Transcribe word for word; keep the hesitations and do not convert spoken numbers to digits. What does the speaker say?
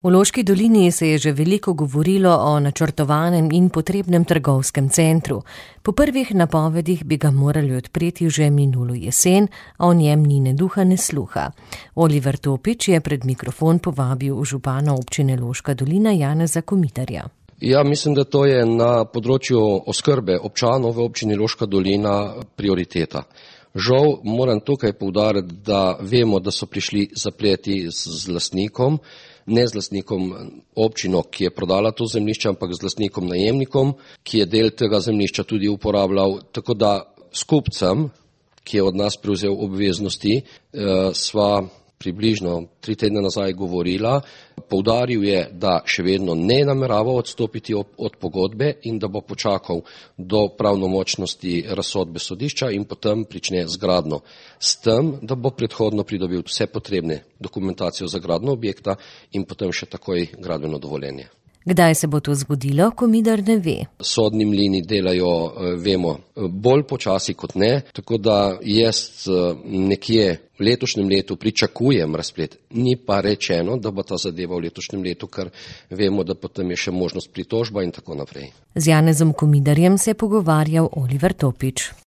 V Loški dolini se je že veliko govorilo o načrtovanem in potrebnem trgovskem centru. Po prvih napovedih bi ga morali odpreti že minulo jesen, a o njem ni ne duha ne sluha. Oliver Topič je pred mikrofon povabil župana občine Loška dolina Janeza Komitarja. Ja, mislim, da to je na področju oskrbe občanov v občini Loška dolina prioriteta. Žal moram tukaj poudariti, da vemo, da so prišli zapleti z lastnikom, ne z lastnikom občino, ki je prodala to zemljišče, ampak z lastnikom najemnikom, ki je del tega zemljišča tudi uporabljal. Tako da s kupcem, ki je od nas prevzel obveznosti, sva približno tri tedne nazaj govorila, poudaril je, da še vedno ne namerava odstopiti od pogodbe in da bo počakal do pravnomočnosti razsodbe sodišča in potem prične z gradnjo. S tem, da bo predhodno pridobil vse potrebne dokumentacije za gradnjo objekta in potem še takoj gradbeno dovoljenje. Kdaj se bo to zgodilo, Komidar ne ve. Sodni mlini delajo, vemo, bolj počasi kot ne, tako da jaz nekje v letošnjem letu pričakujem razplet. Ni pa rečeno, da bo ta zadeva v letošnjem letu, ker vemo, da potem je še možnost pritožba in tako naprej. Z Janezom Komidarjem se je pogovarjal Oliver Topič.